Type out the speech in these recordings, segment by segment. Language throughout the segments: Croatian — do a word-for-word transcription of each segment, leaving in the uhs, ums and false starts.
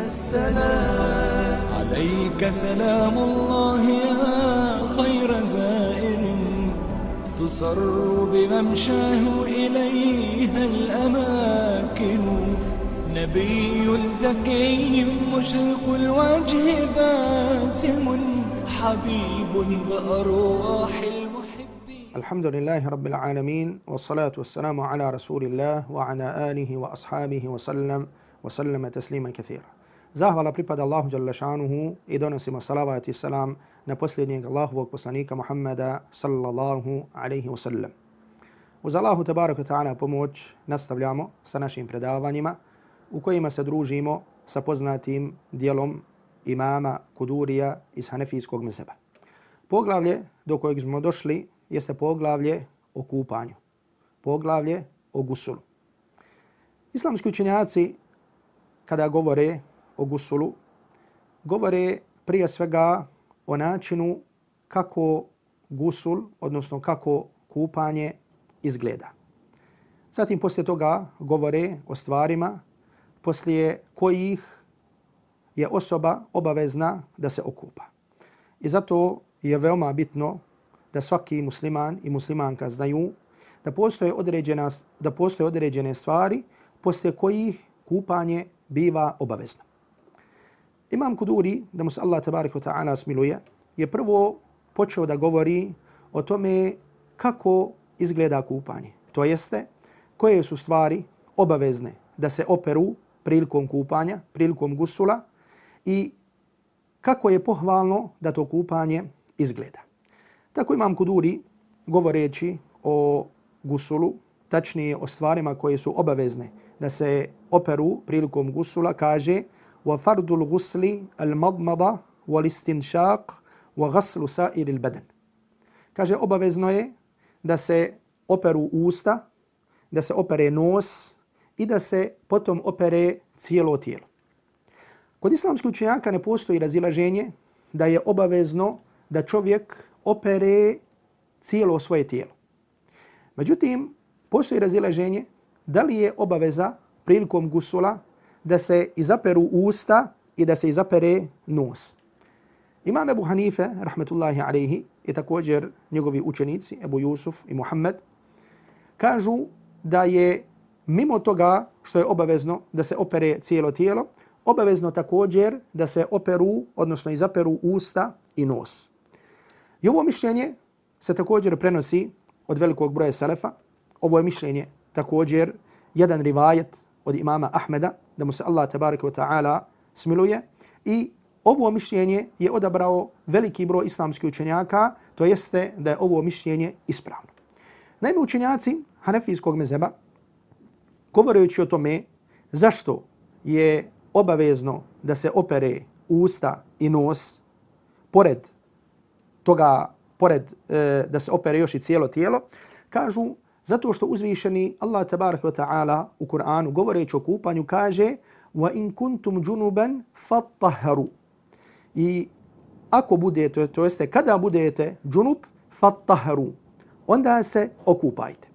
السلام عليك سلام الله يا خير زائر تسر بممشاه إليها الأماكن نبي زكي مشرق الوجه باسم حبيب بأرواح المحبين. الحمد لله رب العالمين والصلاة والسلام على رسول الله وعلى آله وأصحابه وسلم وسلم تسليما كثيرا. Zahvala pripada Allahu dželle šanuhu i donosimo salavat i salam na posljednjeg Allahovog poslanika Muhammeda sallallahu alaihi wasallam. Uz Allahu tabaraka ta'ala pomoć nastavljamo sa našim predavanjima u kojima se družimo sa poznatim dijelom imama Kudurija iz Hanefijskog mezheba. Poglavlje do kojeg smo došli jeste poglavlje o kupanju, poglavlje o gusulu. Islamski učenjaci kada govore o gusulu, govore prije svega o načinu kako gusul, odnosno kako kupanje izgleda. Zatim poslije toga govore o stvarima poslije kojih je osoba obavezna da se okupa. I zato je veoma bitno da svaki musliman i muslimanka znaju da postoje određena, da postoje određene stvari poslije kojih kupanje biva obavezno. Imam Kuduri, da mu se Allah tabaraka wa ta'ala smiluje, je prvo počeo da govori o tome kako izgleda kupanje. To jeste, koje su stvari obavezne da se operu prilikom kupanja, prilikom gusula i kako je pohvalno da to kupanje izgleda. Tako Imam Kuduri, govoreći o gusulu, tačnije o stvarima koje su obavezne da se operu prilikom gusula, kaže وَفَرْدُ الْغُسْلِ الْمَضْمَضَ وَالِسْتِنْشَاقِ وَغَسْلُ سَائِرِ الْبَدَنِ. Kaže, obavezno je da se operu usta, da se opere nos i da se potom opere cijelo tijelo. Kod islamskih učenjaka ne postoji razilaženje da je obavezno da čovjek opere cijelo svoje tijelo. Međutim, postoji razilaženje da li je obaveza prilikom gusula da se izaperu usta i da se izapere nos. Imam Ebu Hanife, rahmetullahi alaihi, i također njegovi učenici, Ebu Jusuf i Muhammed, kažu da je mimo toga što je obavezno da se opere cijelo tijelo, obavezno također da se operu, odnosno izaperu usta i nos. I ovo mišljenje se također prenosi od velikog broja selefa. Ovo je mišljenje također jedan rivajet od imama Ahmeda, da mu se Allah tabaraka wa ta'ala smiluje. I ovo mišljenje je odabrao veliki broj islamskih učenjaka, to jeste da je ovo mišljenje ispravno. Naime, učenjaci Hanefijskog mezheba, govoreći o tome zašto je obavezno da se opere usta i nos, pored toga, pored e, da se opere još i cijelo tijelo, kažu zato što uzvišeni Allah tabaraka wa ta'ala u Kur'anu govoreći o kupanju kaže وَإِن كُنْتُمْ جُنُبًا فَطَّهَرُوا. I ako budete, to jeste kada budete džunub, فَطَّهَرُوا, onda se okupajte.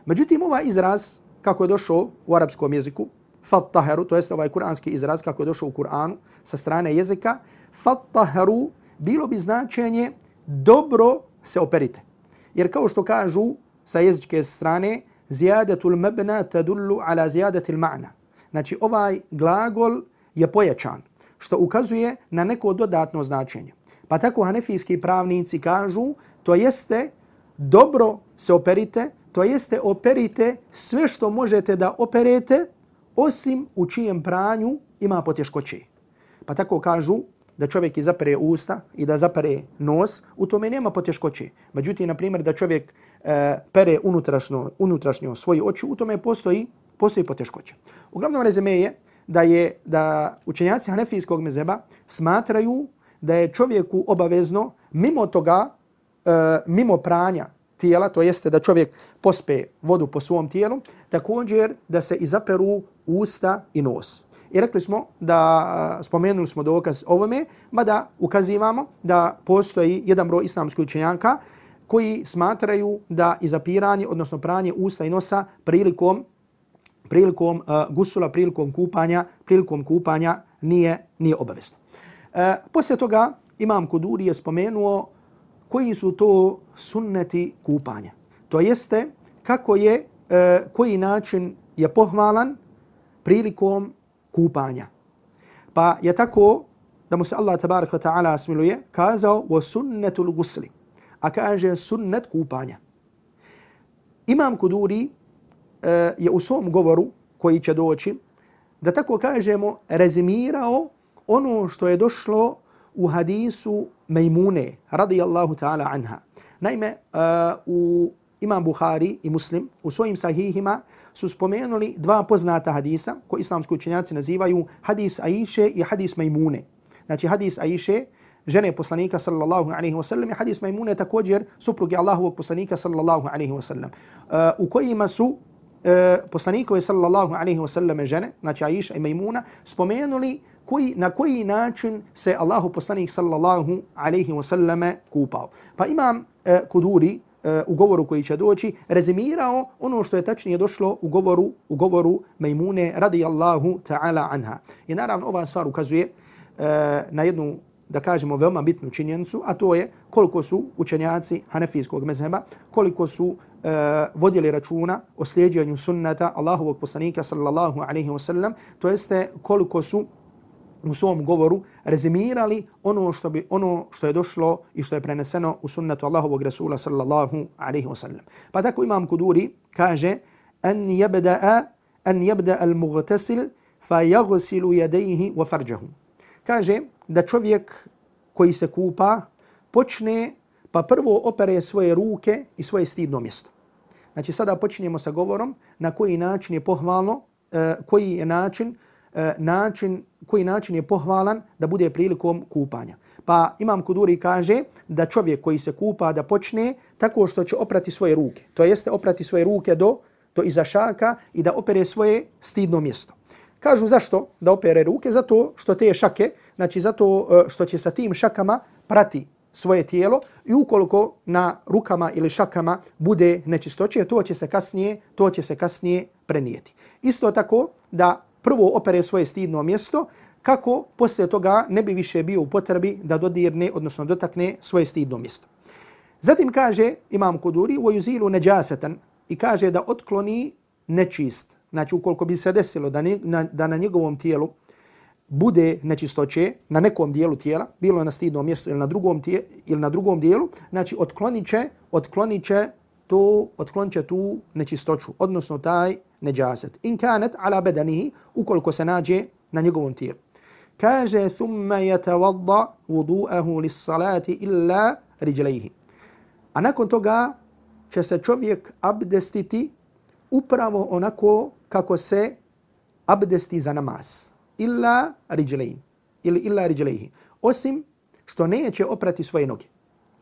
Međutim, ovaj izraz kako je došao u arapskom jeziku, فَطَّهَرُوا, to jeste ovaj kuranski izraz kako je došao u Kur'anu sa strane jezika, فَطَّهَرُوا bilo bi značenje dobro se operite. Jer kao što kažu sa jezičke strane, ziyadatul mabna tadullu ala ziyadatil ma'na. Znači, ovaj glagol je pojačan, što ukazuje na neko dodatno značenje. Pa tako hanefijski pravnici kažu, to jeste dobro se operite, to jeste operite sve što možete da operete, osim u čijem pranju ima poteškoće. Pa tako kažu da čovjek izapere usta i da zapere nos, u tome nema poteškoće. Međutim, na primjer, da čovjek e, pere unutrašnjo, unutrašnjo svoje oči, u tome postoji, postoji poteškoća. Uglavnom rezime je da je da učenjaci Hanefijskog mezheba smatraju da je čovjeku obavezno mimo toga, e, mimo pranja tijela, to jeste da čovjek pospe vodu po svom tijelu, također da se izaperu usta i nos. I rekli smo da, spomenuli smo dokaz ovome, mada ukazivamo da postoji jedan broj islamskih učenjaka koji smatraju da izapiranje, odnosno pranje usta i nosa prilikom, prilikom uh, gusula, prilikom kupanja, prilikom kupanja nije, nije obavezno. E, poslije toga Imam Kuduri je spomenuo koji su to sunneti kupanja. To jeste kako je, e, koji način je pohvalan prilikom kupanja. Pa je tako da mu se Allah tabaraka wa ta'ala smiluje kazao wa sunnetul gusli, a kaže sunnet kupanja. Imam Kuduri e, je u svom govoru koji će doći, da tako kažemo, rezimirao ono što je došlo u hadisu Mejmune radijallahu ta'ala anha. Naime, uh, u Imam Buhari i Muslim u svojim sahihima su spomenuli dva poznata hadisa koji islamski učenjaci nazivaju hadis Aisha i hadis Mejmune. Znači hadis Aisha, žene poslanika sallallahu alaihi wa sallam, i hadis Mejmune također supruge Allahovog poslanika sallallahu alaihi wa sallam, uh, u kojima su Uh, poslanikove sallallahu alaihi wa sallam žene, znači Aisha i Mejmuna, spomenuli koji, na koji način se Allahu poslanik sallallahu alaihi wa sallam kupao. Pa Imam uh, Kuduri uh, u govoru koji će doći rezimirao ono što je tačnije došlo u govoru, u govoru Mejmune radijallahu ta'ala anha. I naravno ova stvar ukazuje uh, na jednu, da kažemo, veoma bitnu činjenicu, a to je koliko su učenjaci hanefijskog mezheba, koliko su uh, vodili računa o slijedjenju sunnata Allahovog poslanika sallallahu alaihi wa sallam, to jeste koliko su u svom govoru rezimirali ono što, bi, ono što je došlo i što je preneseno u sunnatu Allahovog Rasula sallallahu alaihi wa sallam. Pa tako Imam Kuduri kaže an yabda'a an yabda al-mughtasil fa yaghsilu yadayhi wa farjahu. Kaže da čovjek koji se kupa počne pa prvo opere svoje ruke i svoje stidno mjesto. Znači sada počinjemo sa govorom na koji način je pohvalno, uh, koji je način, uh, način, koji način je pohvalan da bude prilikom kupanja. Pa Imam Kuduri kaže da čovjek koji se kupa da počne tako što će oprati svoje ruke. To jeste oprati svoje ruke do, do iza šaka i da opere svoje stidno mjesto. Kažu zašto da opere ruke? Zato što te šake, znači zato što će sa tim šakama prati svoje tijelo i ukoliko na rukama ili šakama bude nečistoće, to će se kasnije, to će se kasnije prenijeti. Isto tako da prvo opere svoje stidno mjesto kako poslije toga ne bi više bio u potrebi da dodirne, odnosno dotakne svoje stidno mjesto. Zatim kaže Imam Kuduri وَيُزِيلُ نَجَاسَةً i kaže da otkloni nečist. Znači ukoliko bi se desilo da, ni, na, da na njegovom tijelu bude nečistoće na nekom dijelu tijela, bilo na stidnom mjestu ili na drugom, tije, ili na drugom dijelu, znači otklonit će, otklonit će, to, otklonit će tu nečistoću, odnosno taj neđaset. In kanet ala bedanihi, ukoliko se nađe na njegovom tijelu. Kaže, thumma yatawadda wudu'ahu lis-salati illa rijlaihi. A nakon toga će se čovjek abdestiti upravo onako kako se abdesti za namaz. Illa rijlain. Ili illa rijlaihi. Osim što neće oprati svoje noge.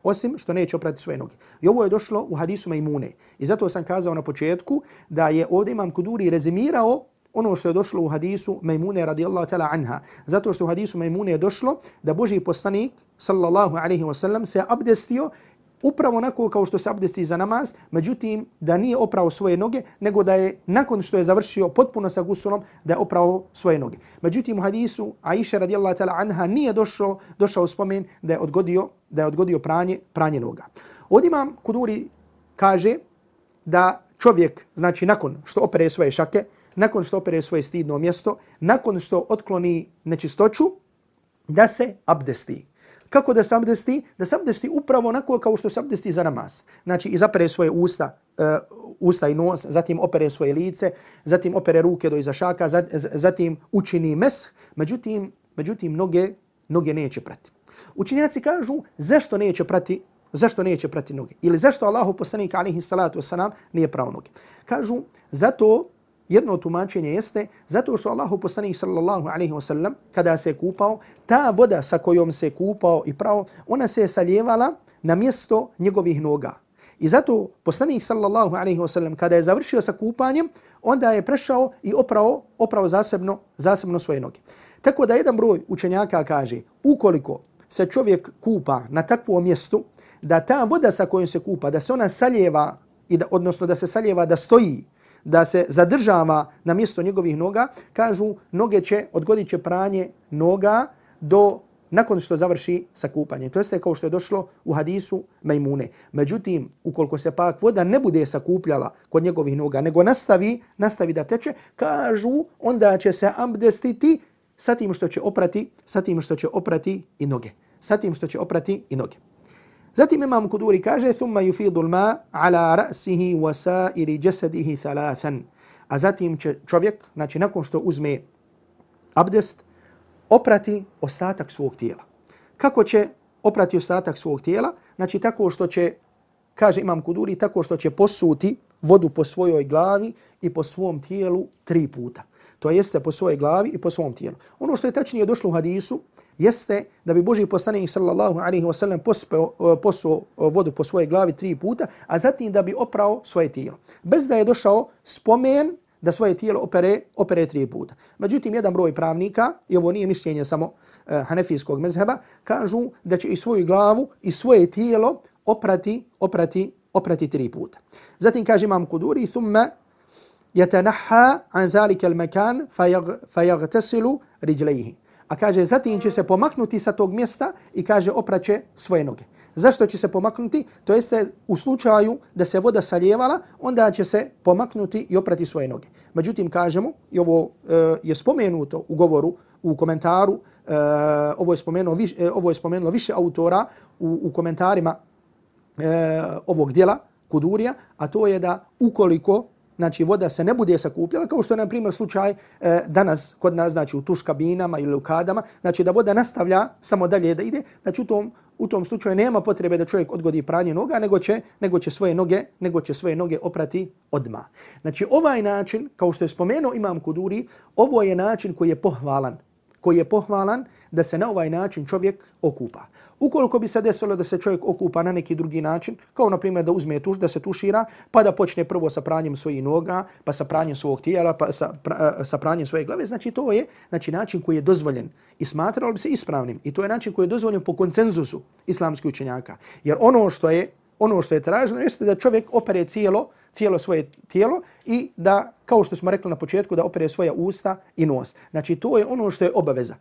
Osim što neće oprati svoje noge. I ovo je došlo u hadisu Mejmune. I zato sam kazao na početku da je ovdje Imam Kuduri rezimirao ono što je došlo u hadisu Mejmune radijallahu ta'ala anha. Zato što u hadisu Mejmune je došlo da Božji poslanik sallallahu alaihi wa sallam se abdestio upravo onako kao što se abdesti za namaz, međutim da nije oprao svoje noge, nego da je nakon što je završio potpuno sa gusulom, da je oprao svoje noge. Međutim u hadisu Aisha radijallahu ta'ala anha nije došlo, došao spomen da je odgodio, da je odgodio pranje, pranje noga. Ovdje Imam Kuduri kaže da čovjek, znači nakon što opere svoje šake, nakon što opere svoje stidno mjesto, nakon što otkloni nečistoću, da se abdesti. Kako da se abdesti? Da se abdesti upravo onako kao što se abdesti za namaz. Znači izapere svoje usta, uh, usta i nos, zatim opere svoje lice, zatim opere ruke do iza šaka, zatim učini mesh, međutim, međutim noge, noge neće prati. Učenjaci kažu zašto neće prati, zašto neće prati noge? Ili zašto Allahu poslanik alejhi salatu vesselam nije prao noge? Kažu zato, jedno tumačenje jeste zato što Allahu poslanik sallallahu alejhi ve sellem kada se kupao, ta voda sa kojom se kupao i prao, ona se saljevala na mjesto njegovih noga. I zato poslanik sallallahu alejhi ve sellem kada je završio sa kupanjem, onda je prešao i oprao, oprao zasebno, zasebno svoje noge. Tako da jedan broj učenjaka kaže, ukoliko se čovjek kupa na takvom mjestu, da ta voda sa kojom se kupa, da se ona saljeva, i da, odnosno da se saljeva da stoji, da se zadržava na mjesto njegovih noga, kažu noge će, odgodit će pranje noga do nakon što završi sa kupanjem. To jeste kao što je došlo u hadisu Majmune. Međutim, ukoliko se pak voda ne bude sakupljala kod njegovih noga, nego nastavi, nastavi da teče, kažu onda će se abdestiti sa tim što će oprati, sa tim što će oprati i noge. Sa tim što će oprati i noge. Zatim Imam Kuduri kaže thumma yufidu al-ma ala ra'sihi wa sa'iri jasadihi thalathan. A zatim će čovjek, znači nakon što uzme abdest, oprati ostatak svog tijela. Kako će oprati ostatak svog tijela? Znači tako što će, kaže Imam Kuduri, tako što će posuti vodu po svojoj glavi i po svom tijelu tri puta. To jeste po svojoj glavi i po svom tijelu. Ono što je tačnije došlo u hadisu jeste da bi Božji poslanik sallallahu alejhi ve sellem posuo vodu po svojoj glavi tri puta, a zatim da bi oprao svoje tijelo. Bez da je došao spomen da svoje tijelo opere, opere tri puta. Međutim, jedan broj pravnika, i ovo nije mišljenje samo uh, hanefijskog mezheba, kažu da će i svoju glavu i svoje tijelo oprati, oprati, oprati tri puta. Zatim kaže Imam Kuduri, thumma yatanaha an zalika al-makan fayaghtasilu rijlayhi. A kaže, zatim će se pomaknuti sa tog mjesta i kaže opraće svoje noge. Zašto će se pomaknuti? To jeste u slučaju da se voda saljevala, onda će se pomaknuti i oprati svoje noge. Međutim, kažemo, i ovo uh, je spomenuto u govoru, u komentaru, uh, ovo, je spomenuo, viš, uh, ovo je spomenulo više autora u, u komentarima uh, ovog dijela Kudurija, a to je da ukoliko znači voda se ne bude sakupljala, kao što je, na primjer, slučaj e, danas kod nas, znači u tuš kabinama ili u kadama, znači da voda nastavlja samo dalje da ide, znači u tom, u tom slučaju nema potrebe da čovjek odgodi pranje noga, nego će, nego će svoje noge, nego će svoje noge oprati odmah. Znači ovaj način, kao što je spomenuo Imam Kuduri, ovo je način koji je pohvalan, koji je pohvalan da se na ovaj način čovjek okupa. Ukoliko bi se desilo da se čovjek okupa na neki drugi način, kao na primjer da uzme tuš, da se tušira, pa da počne prvo sa pranjem svojih noga, pa sa pranjem svog tijela, pa sa, pra, sa pranjem svoje glave, znači to je znači način koji je dozvoljen i smatralo bi se ispravnim. I to je način koji je dozvoljen po konsenzusu islamskih učenjaka. Jer ono što je ono što je traženo jeste da čovjek opere cijelo, cijelo svoje tijelo i da, kao što smo rekli na početku, da opere svoja usta i nos. Znači to je ono što je obaveza.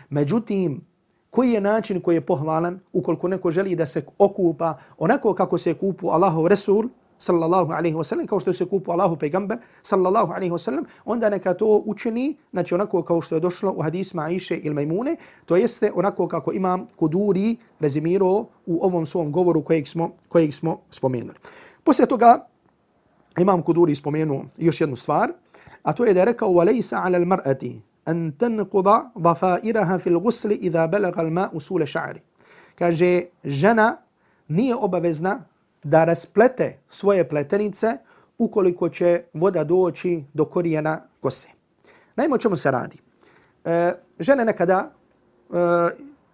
Međutim, koji je način koji je pohvalan ukoliko neko želi da se okupa onako kako se kupu Allahov Resul sallallahu alejhi ve sellem, kao što se kupu Allahov pejgamber sallallahu alejhi ve sellem, onda neka to učini, znači onako kao što je došlo u hadisima Aiše ili Majmune, to jeste onako kako Imam Kuduri rezimirao u ovom svom govoru kojeg smo, kojeg smo spomenuli. Poslije toga Imam Kuduri spomenuo još jednu stvar, a to je da je rekao وَلَيْسَ عَلَى الْمَرْأَةِ أن تنقض ضفائرها في الغسل إذا بلغ الماء أصول شعر. Kaže, žena nije obavezna da rasplete svoje pletenice ukoliko će voda doći do korijena kose. Naime, o čemu se radi? E, žene nekada, e,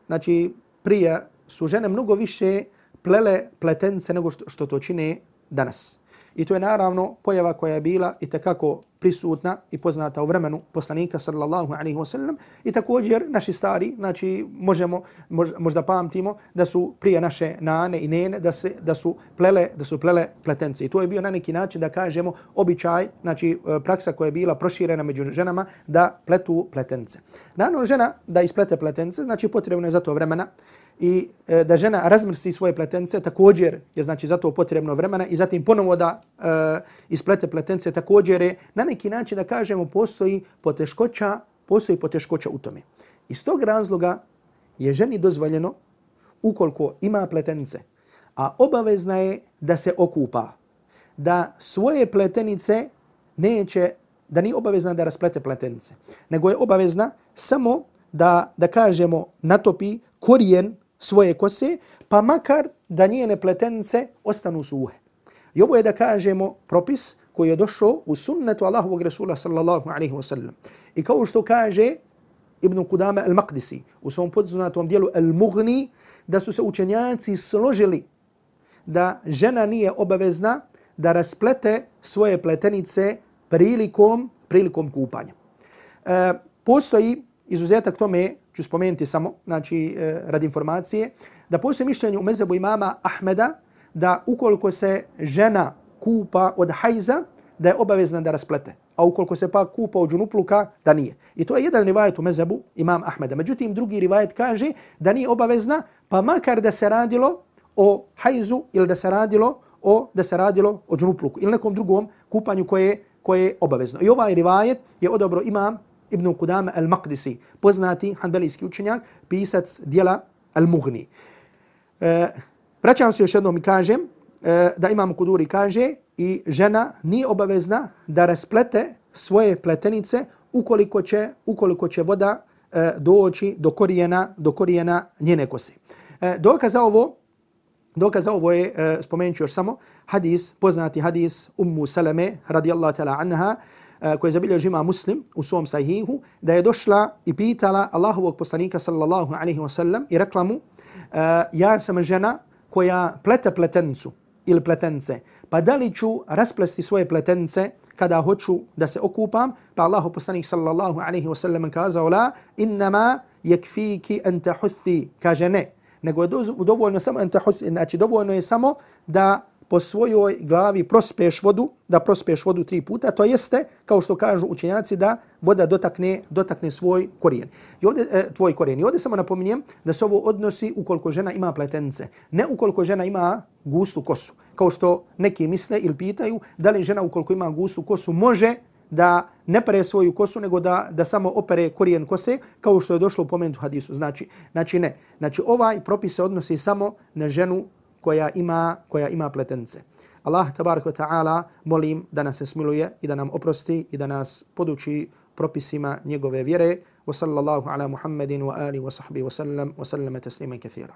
znači prije su žene mnogo više plele pletenice nego što, što to čine danas. I to je naravno pojava koja je bila i tekako prisutna i poznata u vremenu poslanika sallallahu alejhi ve sellem i također naši stari, znači možemo možda pamtimo da su prije naše nane i nene da se da su plele da su plele pletence. I to je bio na neki način da kažemo običaj, znači praksa koja je bila proširena među ženama da pletu pletence. Naravno žena da isplete pletence, znači potrebno je za to vremena. I e, da žena razmrsi svoje pletence također je znači zato potrebno vremena i zatim ponovo da e, isplete pletence također je na neki način da kažemo postoji poteškoća, postoji poteškoća u tome. Iz tog razloga je ženi dozvoljeno ukoliko ima pletence, a obavezna je da se okupa, da svoje pletenice neće, da nije obavezna da rasplete pletenice, nego je obavezna samo da, da kažemo natopi korijen svoje kose, pa makar da njene pletenice ostanu suhe. I ovo je da kažemo propis koji je došao u sunnetu Allahovog Rasula sallallahu alejhi ve sellem. I kao što kaže Ibn Qudama al-Maqdisi u svom poznatom dijelu Al-Mughni, da su se učenjaci složili da žena nije obavezna da rasplete svoje pletenice prilikom, prilikom kupanja. E, postoji izuzetak tome, ću spomenuti samo, znači e, radi informacije, da postoji mišljenje u mezhebu imama Ahmeda da ukoliko se žena kupa od hajza, da je obavezna da rasplete. A ukoliko se pak kupa od džunupluka, da nije. I to je jedan rivajet u mezhebu imam Ahmeda. Međutim, drugi rivajet kaže da nije obavezna, pa makar da se radilo o hajzu ili da se radilo o da se radilo o džunupluku ili nekom drugom kupanju koje, koje je obavezno. I ovaj rivajet je odobro imam Ibn Qudama al-Maqdisi, poznati hanbelijski učenjak, pisac dijela Al-Mughni. E, vraćam se još jednom i kažem e, da imam Kuduri kaže i žena nije obavezna da rasplete svoje pletenice ukoliko će, ukoliko će voda e, doći do korijena, do korijena njene kose. E, dokaz za ovo, dokaz za ovo je, e, spomenut ću još samo, hadis, poznati hadis Ummu Salame radijallahu ta'ala anha, koji je zabilježio ima Muslim u svom sahihu, da je došla i pitala Allahovog poslanika sallallahu alaihi wa sallam i rekla mu, ja sam žena koja plete pletenicu ili pletence, pa da li ću rasplesti svoje pletence kada hoću da se okupam? Pa Allahov poslanik sallallahu alaihi wa sallam kazao, la, innama yakfiki an tahuthi, kaže ne, nego je dovoljno samo an tahuthi, znači dovoljno je samo da po svojoj glavi prospeš vodu, da prospeš vodu tri puta, to jeste, kao što kažu učenjaci, da voda dotakne, dotakne svoj korijen. I ovdje, e, tvoj korijen. I ovdje samo napominjem da se ovo odnosi ukoliko žena ima pletence, ne ukoliko žena ima gustu kosu. Kao što neki misle ili pitaju da li žena ukoliko ima gustu kosu može da ne pere svoju kosu, nego da, da samo opere korijen kose, kao što je došlo u pomenutu hadisu. Znači, znači ne. Znači ovaj propis se odnosi samo na ženu koja ima, koja ima pletence. Allah tabaraka wa ta'ala molim da nas se smiluje i da nam oprosti i da nas poduči propisima njegove vjere. Wa sallallahu ala Muhammedin wa ali wa sahbihi wa sallam wa sallama tasliman kathira.